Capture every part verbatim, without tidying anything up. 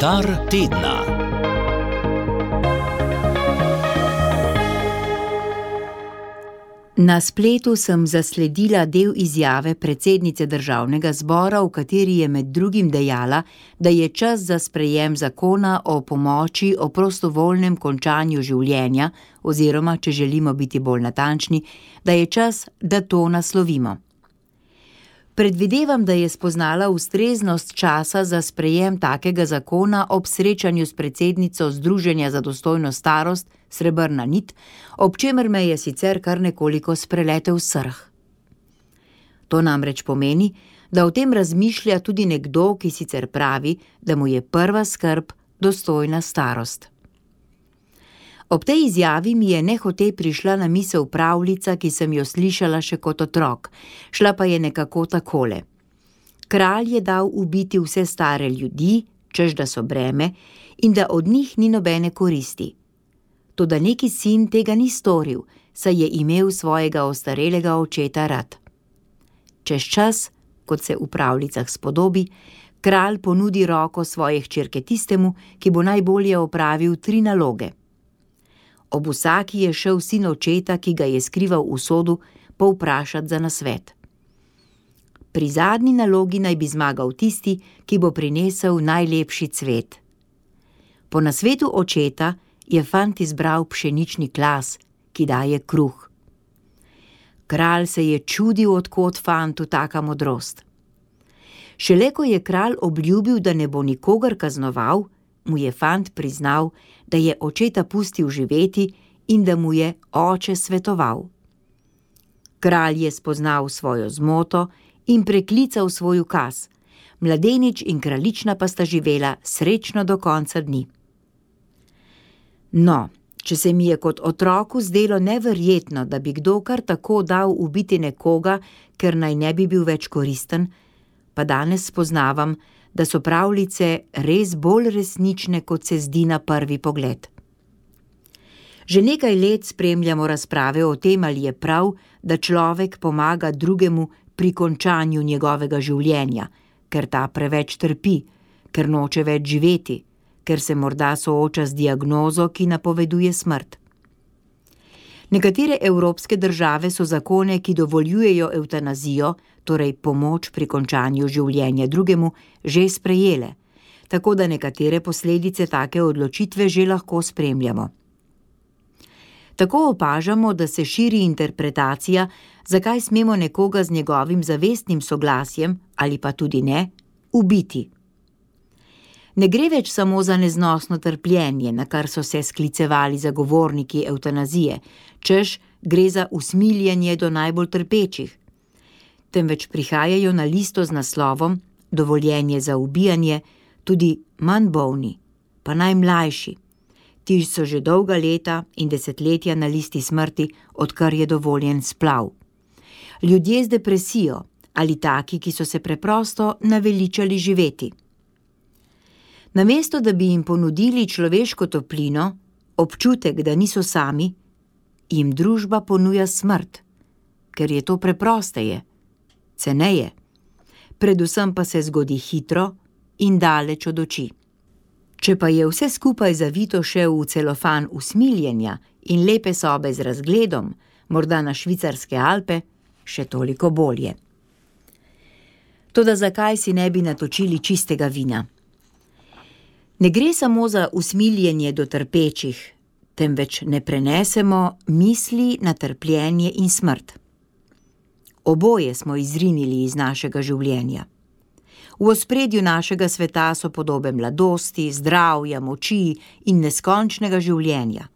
Komentar tedna. Na spletu sem zasledila del izjave predsednice državnega zbora, v kateri je med drugim dejala, da je čas za sprejem zakona o pomoči o prostovoljnem končanju življenja, oziroma, če želimo biti bolj natančni, da je čas, da to naslovimo. Predvidevam, da je spoznala ustreznost časa za sprejem takega zakona ob srečanju s predsednico Združenja za dostojno starost Srebrna nit, ob čemer me je sicer kar nekoliko spreletel srh. To namreč pomeni, da o tem razmišlja tudi nekdo, ki sicer pravi, da mu je prva skrb dostojna starost. Ob tej izjavi mi je nehote prišla na misel pravljica, ki sem jo slišala še kot otrok, šla pa je nekako takole. Kralj je dal ubiti vse stare ljudi, češ da so breme, in da od njih ni nobene koristi. Toda neki sin tega ni storil, saj je imel svojega ostarelega očeta rad. Čez čas, kot se v pravljicah spodobi, kralj ponudi roko svoje hčerke tistemu, ki bo najbolje opravil tri naloge. Ob vsaki je šel sin očeta, ki ga je skrival v sodu, povprašat za nasvet. Pri zadnji nalogi naj bi zmagal tisti, ki bo prinesel najlepši cvet. Po nasvetu očeta je fant izbral pšenični klas, ki daje kruh. Kralj se je čudil, od kod fantu taka modrost. Šele ko je kralj obljubil, da ne bo nikogar kaznoval, mu je fant priznal, da je očeta pustil živeti in da mu je oče svetoval. Kralj je spoznal svojo zmoto in preklical svoj ukaz. Mladenič in kraljična pa sta živela srečno do konca dni. No, če se mi je kot otroku zdelo neverjetno, da bi kdo kar tako dal ubiti nekoga, ker naj ne bi bil več koristen, pa danes spoznavam, da so pravljice res bolj resnične, kot se zdi na prvi pogled. Že nekaj let spremljamo razprave o tem, ali je prav, da človek pomaga drugemu pri končanju njegovega življenja, ker ta preveč trpi, ker noče več živeti, ker se morda sooča z diagnozo, ki napoveduje smrt. Nekatere evropske države so zakone, ki dovoljujejo evtanazijo, torej pomoč pri končanju življenja drugemu, že sprejele, tako da nekatere posledice take odločitve že lahko spremljamo. Tako opažamo, da se širi interpretacija, zakaj smemo nekoga z njegovim zavestnim soglasjem, ali pa tudi ne, ubiti. Ne gre več samo za neznosno trpljenje, na kar so se sklicevali zagovorniki evtanazije, češ gre za usmiljenje do najbolj trpečih, temveč prihajajo na listo z naslovom dovoljenje za ubijanje tudi manj bolni, pa najmlajši. Ti so že dolga leta in desetletja na listi smrti, odkar je dovoljen splav. Ljudje z depresijo ali taki, ki so se preprosto naveličali živeti. Namesto, da bi jim ponudili človeško toplino, občutek, da niso sami, jim družba ponuja smrt, ker je to preprosteje, ceneje, predvsem pa se zgodi hitro in daleč od oči. Če pa je vse skupaj zavito še v celofan usmiljenja in lepe sobe z razgledom, morda na švicarske Alpe, še toliko bolje. Toda zakaj si ne bi natočili čistega vina? Ne gre samo za usmiljenje do trpečih, temveč ne prenesemo misli na trpljenje in smrt. Oboje smo izrinili iz našega življenja. V ospredju našega sveta so podobe mladosti, zdravja, moči in neskončnega življenja.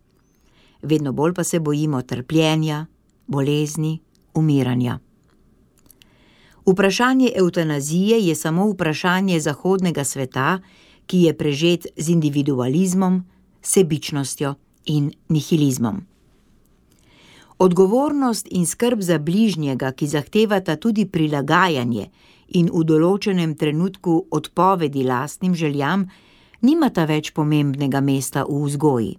Vedno bolj pa se bojimo trpljenja, bolezni, umiranja. Vprašanje evtanazije je samo vprašanje zahodnega sveta, ki je prežet z individualizmom, sebičnostjo in nihilizmom. Odgovornost in skrb za bližnjega, ki zahtevata tudi prilagajanje in v določenem trenutku odpovedi lastnim željam, nimata več pomembnega mesta v vzgoji.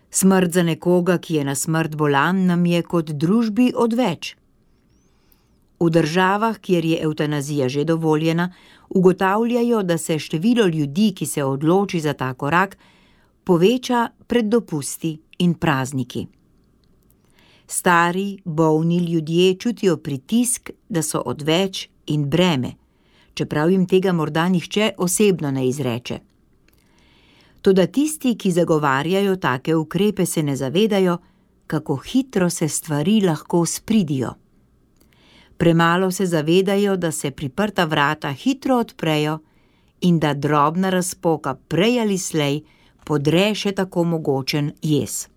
Smrt za nekoga, ki je na smrt bolan, nam je kot družbi odveč. V državah, kjer je evtanazija že dovoljena, ugotavljajo, da se število ljudi, ki se odloči za ta korak, poveča pred dopusti in prazniki. Stari, bolni ljudje čutijo pritisk, da so odveč in breme, čeprav jim tega morda nihče osebno ne izreče. Toda tisti, ki zagovarjajo take ukrepe, se ne zavedajo, kako hitro se stvari lahko spridijo. Premalo se zavedajo, da se priprta vrata hitro odprejo in da drobna razpoka prej ali slej podre še tako mogočen jez.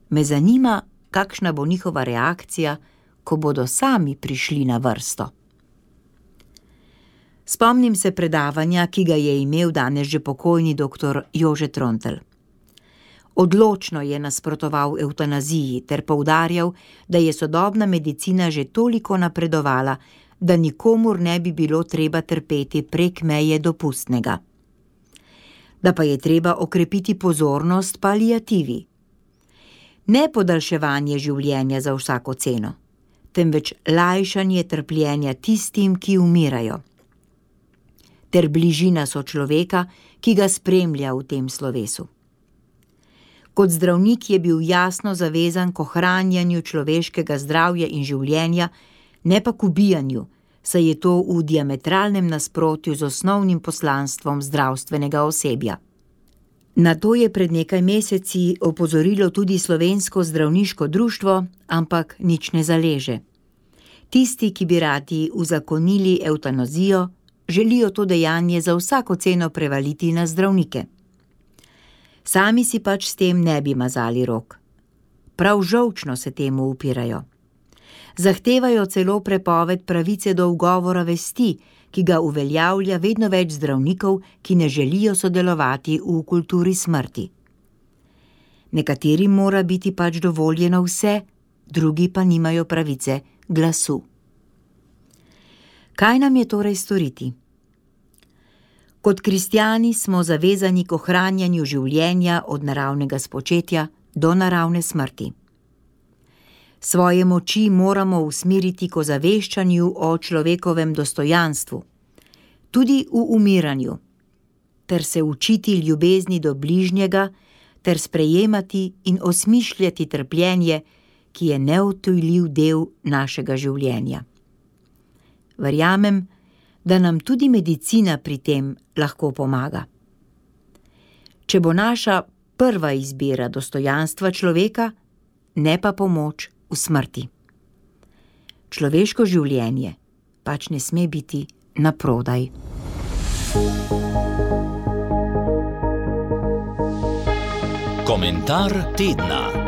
Me zanima, kakšna bo njihova reakcija, ko bodo sami prišli na vrsto. Spomnim se predavanja, ki ga je imel danes že pokojni doktor Jože Trontelj. Odločno je nasprotoval evtanaziji ter poudarjal, da je sodobna medicina že toliko napredovala, da nikomur ne bi bilo treba trpeti prek meje dopustnega. Da pa je treba okrepiti pozornost paliativi. Ne podaljševanje življenja za vsako ceno, temveč lajšanje trpljenja tistim, ki umirajo, ter bližina sočloveka, ki ga spremlja v tem slovesu. Kot zdravnik je bil jasno zavezan k ohranjanju človeškega zdravja in življenja, ne pa k ubijanju, saj je to v diametralnem nasprotju z osnovnim poslanstvom zdravstvenega osebja. Na to je pred nekaj meseci opozorilo tudi Slovensko zdravniško društvo, ampak nič ne zaleže. Tisti, ki bi radi uzakonili evtanazijo, želijo to dejanje za vsako ceno prevaliti na zdravnike. Sami si pač s tem ne bi mazali rok. Prav žolčno se temu upirajo. Zahtevajo celo prepoved pravice do ugovora vesti, ki ga uveljavlja vedno več zdravnikov, ki ne želijo sodelovati v kulturi smrti. Nekaterim mora biti pač dovoljeno vse, drugi pa nimajo pravice glasu. Kaj nam je torej storiti? Kot kristjani smo zavezani k ohranjanju življenja od naravnega spočetja do naravne smrti. Svoje moči moramo usmeriti k ozaveščanju o človekovem dostojanstvu, tudi v umiranju, ter se učiti ljubezni do bližnjega, ter sprejemati in osmišljati trpljenje, ki je neodtujljiv del našega življenja. Verjamem, da nam tudi medicina pri tem lahko pomaga. Če bo naša prva izbira dostojanstva človeka, ne pa pomoč v smrti. Človeško življenje pač ne sme biti naprodaj. Komentar tedna.